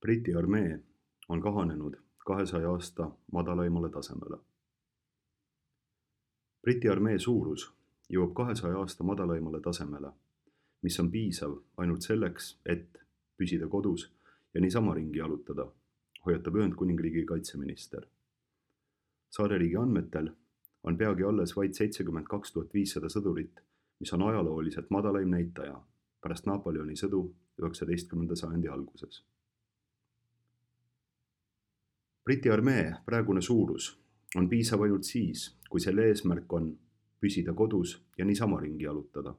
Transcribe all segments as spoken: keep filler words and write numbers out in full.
Briti armee on kahanenud kahesaja aasta madalaimale tasemele. Briti armee suurus jõuab kahesaja aasta madalaimale tasemele, mis on piisav ainult selleks, et püsida kodus ja niisama ringi jalutada, hoiatab Ühendkuningriigi kaitseminister. Saareriigi andmetel on peagi alles vaid seitsekümmend kaks tuhat viissada sõdurit, mis on ajalooliselt madalaim näitaja pärast Napoleoni sõdu üheksateistkümnenda sajandi alguses. Briti armee praegune suurus on piisav ainult siis, kui selle eesmärk on püsida kodus ja niisama ringi jalutada,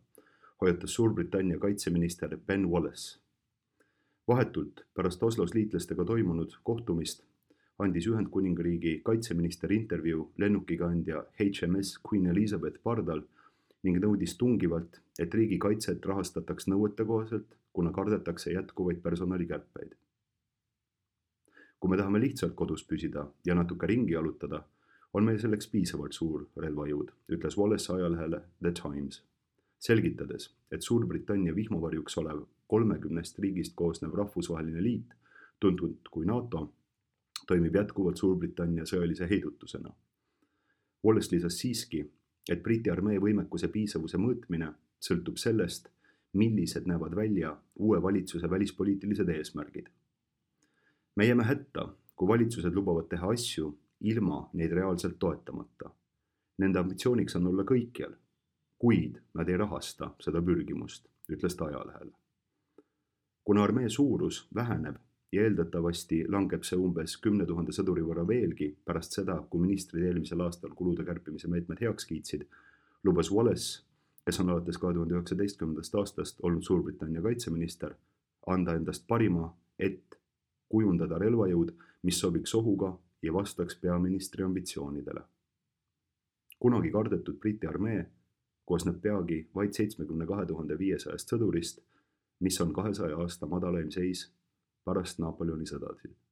hoiatas Suurbritannia kaitseminister Ben Wallace. Vahetult pärast Oslos liitlastega toimunud kohtumist andis Ühendkuningriigi kaitseminister intervjuu lennukikandja H M S Queen Elizabeth pardal ning nõudis tungivalt, et riigi kaitset rahastataks nõuetekohaselt, kuna kardetakse jätkuvaid personalikärpeid. Kui me tahame lihtsalt kodus püsida ja natuke ringi jalutada, on meil selleks piisavalt suur relvajõud, ütles Wallace ajalehele The Times, selgitades, et Suurbritannia vihmavarjuks olev kolmekümnest riigist koosnev rahvusvaheline liit, tuntud kui NATO, toimib jätkuvalt Suurbritannia sõjalise heidutusena. Wallace lisas siiski, et Briti armee võimekuse piisavuse mõõtmine sõltub sellest, millised näevad välja uue valitsuse välispoliitilised eesmärgid. Me jääme hätta, kui valitsused lubavad teha asju ilma neid reaalselt toetamata. Nende ambitsiooniks on olla kõikjal, kuid nad ei rahasta seda pürgimust, ütles ta ajalehele. Kuna armee suurus väheneb ja eeldatavasti langeb see umbes kümne tuhande sõduri võrra veelgi pärast seda, kui ministrid eelmisel aastal kulude kärpimise meetmed heaks kiitsid, lubas Wallace, kes on alates kahe tuhande üheksateistkümnendast aastast olnud Suurbritannia kaitseminister, anda endast parima, et kujundada relvajõud, mis sobiks ohuga ja vastaks peaministri ambitsioonidele. Kunagi kardetud Briti armee koosneb peagi vaid seitsmekümne kahe tuhande viiesajast sõdurist, mis on kahesaja aasta madalaim seis pärast Napoleoni sõdasid.